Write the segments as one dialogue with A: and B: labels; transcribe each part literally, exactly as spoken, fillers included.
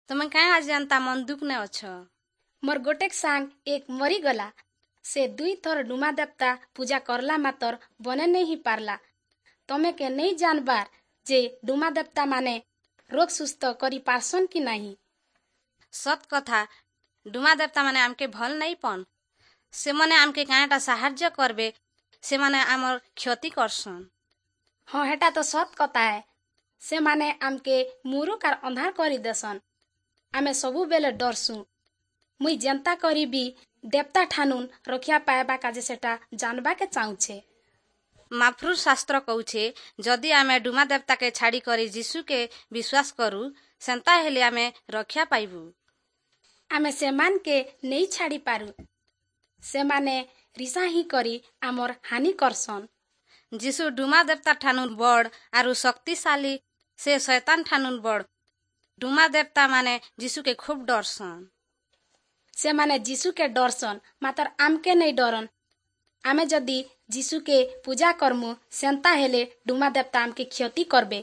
A: ତୁମେ କାଁ ଆଜି ଏନ୍ତା ମନ ଦୁଃଖ ନେ ଅଛ?
B: ମୋର ଗୋଟେକ ସାଙ୍ଗ ଏକ ମରିଗଲା। ସେ ଦୁଇ ଥର ଡୁମା ଦେବତା ପୂଜା କରଲା, ମାତର ବନେ ନେଇ ହିଁ ପାରଲା। ତମେ କେ ନେଇ ଜାନବାର ଯେ ଡୁମା ଦେବତା ମାନେ ରୋଗ ସୁସ୍ଥ କରି ପାରସନ୍ କି ନାହିଁ?
A: ସତ୍ କଥା, ଡୁମା ଦେବତା ମାନେ ଆମକେ ଭଲ ନାଇଁ ପନ୍। ସେମାନେ ଆମକେ କାଁଟା ସାହାଯ୍ୟ କରବେ, ସେମାନେ ଆମର କ୍ଷତି କରସନ୍।
B: ହଁ, ହେଟା ତ ସତ୍ କଥା ହେ। ସେମାନେ ଆମକେ ମୁରୁକ ଆର୍ ଅନ୍ଧାର କରିଦେସନ୍। ଆମେ ସବୁବେଲେ ଡରସୁଁ। ମୁଇଁ ଯେନ୍ତା କରିବି ଦେବତା ଠାନୁନ୍ ରକ୍ଷା ପାଇବା କାଜେ ସେଟା ଜାନବାକେ ଚାହୁଁଛେ।
A: ମାଫ୍ରୁ ଶାସ୍ତ୍ର କହୁଛେ, ଯଦି ଆମେ ଡୁମା ଦେବତାକେ ଛାଡ଼ି କରି ଯୀଶୁକେ ବିଶ୍ୱାସ କରୁ, ସେନ୍ତା ହେଲେ ଆମେ ରକ୍ଷା ପାଇବୁ।
B: ଆମେ ସେମାନକେ ନେଇ ଛାଡ଼ି ପାରୁ। ସେମାନେ ରିସା ହିଁ କରି ଆମର୍ ହାନି କରସନ୍।
A: ଯୀଶୁ ଡୁମା ଦେବତା ଠାନୁନ୍ ବଡ଼ ଆରୁ ଶକ୍ତିଶାଳୀ। ସେ ଶୟତାନ ଠାନୁନ୍ ବଡ଼। ଡୁମା ଦେବତା ମାନେ ଯୀଶୁକେ ଖୁବ୍ ଡରସନ୍।
B: ସେମାନେ ଯୀଶୁକେ ଡରସନ୍, ମାତର ଆମକେ ନେଇ ଡରନ୍। ଆମେ ଯଦି ଯୀଶୁକେ ପୂଜା କରମୁ, ସେନ୍ତା ହେଲେ ଡୁମା ଦେବତା ଆମକେ କ୍ଷତି କରବେ।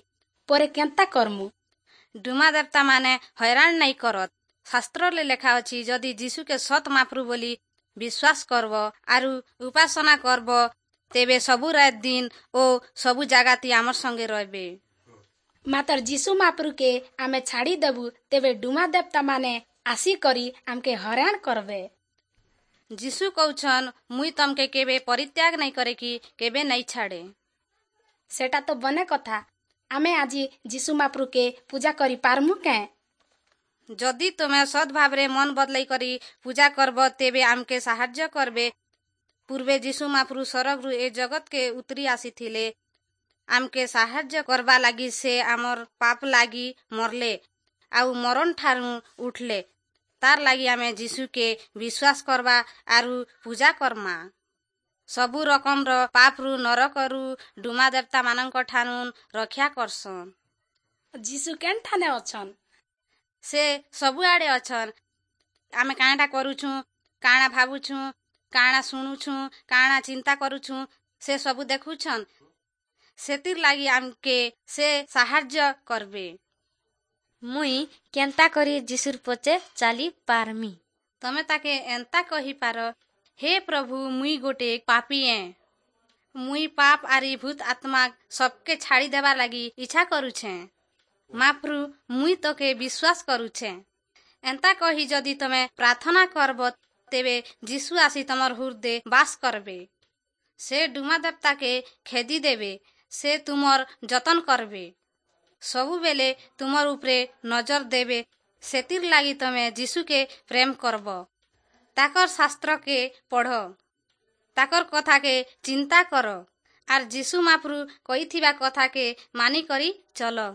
B: ପରେ କେନ୍ତା କରମୁ?
A: ଡୁମା ଦେବତା ମାନେ ହଇରାଣ ନାଇଁ କରତ। ଶାସ୍ତ୍ରରେ ଲେଖା ଅଛି, ଯଦି ଯୀଶୁକେ ସତ୍ ମାପ୍ରୁ ବୋଲି ବିଶ୍ୱାସ କରବ ଆରୁ ଉପାସନା କରବ, ତେବେ ସବୁ ରାତ ଦିନ ଓ ସବୁ ଜାଗାତି ଆମର ସଙ୍ଗେ ରହିବେ।
B: ମାତର ଯୀଶୁ ମାପ୍ରୁକେ ଆମେ ଛାଡ଼ି ଦେବୁ, ତେବେ ଡୁମା ଦେବତା ମାନେ ଆସିକରି ଆମକେ ହଇରାଣ କରବେ।
A: ଯୀଶୁ କହୁଛନ୍, ମୁଇଁ ତମକେ କେବେ ପରିତ୍ୟାଗ ନାଇଁ କରେ କି କେବେ ନାଇଁ ଛାଡ଼େ।
B: ସେଟା ତ ବନେ କଥା। ଆମେ ଆଜି ଯୀଶୁ ମାପ୍ରୁକେ ପୂଜା କରି ପାରମୁ କେଁ?
A: ଯଦି ତୁମେ ସତ୍ ଭାବରେ ମନ ବଦଲେଇ କରି ପୂଜା କରବ, ତେବେ ଆମକେ ସାହାଯ୍ୟ କରବେ। ପୂର୍ବେ ଯୀଶୁ ମାପ୍ରୁ ସରଗରୁ ଏ ଜଗତକେ ଉତରି ଆସିଥିଲେ ଆମକେ ସାହାଯ୍ୟ କରବା ଲାଗି। ସେ ଆମର୍ ପାପ ଲାଗି ମରଲେ ଆଉ ମରଣ ଠାରୁ ଉଠଲେ। ତାର୍ ଲାଗି ଆମେ ଯୀଶୁକେ ବିଶ୍ୱାସ କରବା ଆରୁ ପୂଜା କର୍ମା। ସବୁ ରକମର ପାପରୁ, ନରକରୁ, ଡୁମା ଦେବତା ମାନଙ୍କ ଠାନୁ ରକ୍ଷା କରସନ୍।
B: ଯୀଶୁ କେନ୍ ଠାନେ ଅଛନ୍?
A: ସେ ସବୁଆଡ଼େ ଅଛନ୍। ଆମେ କାଣାଟା କରୁଛୁଁ, କାଣା ଭାବୁଛୁଁ, କାଣା ଶୁଣୁଛୁଁ, କାଣା ଚିନ୍ତା କରୁଛୁଁ, ସେ ସବୁ ଦେଖୁଛନ୍। ସେଥିର୍ ଲାଗି ଆମକେ ସେ ସାହାଯ୍ୟ କରବେ।
C: ମୁଇଁ କେନ୍ତା କରି ଯୀଶୁର୍ ପଛେ ଚାଲି ପାରମି?
A: ତମେ ତାକେ ଏନ୍ତା କହିପାର, ହେ ପ୍ରଭୁ, ମୁଇଁ ଗୋଟେ ପାପୀ ଏଁ। ମୁଇଁ ପାପ ଆରି ଭୂତ ଆତ୍ମା ସବକେ ଛାଡ଼ି ଦେବା ଲାଗି ଇଚ୍ଛା କରୁଛେଁ। ମାପ୍ରୁ, ମୁଇଁ ତୋକେ ବିଶ୍ୱାସ କରୁଛେଁ। ଏନ୍ତା କହି ଯଦି ତମେ ପ୍ରାର୍ଥନା କରବ, ତେବେ ଯୀଶୁ ଆସି ତମର ହୃଦେ ବାସ କରବେ। ସେ ଡୁମା ଦେବତାକେ ଖେଦି ଦେବେ। ସେ ତୁମର ଯତନ କରବେ, ସବୁବେଲେ ତୁମର ଉପରେ ନଜର ଦେବେ। ସେଥିର୍ ଲାଗି ତମେ ଯୀଶୁକେ ପ୍ରେମ କରବ, ତାକର ଶାସ୍ତ୍ରକେ ପଢ଼, ତାକର କଥାକେ ଚିନ୍ତା କର ଆର୍ ଯୀଶୁ ମାପ୍ରୁ କହିଥିବା କଥାକେ ମାନିକରି ଚଲ।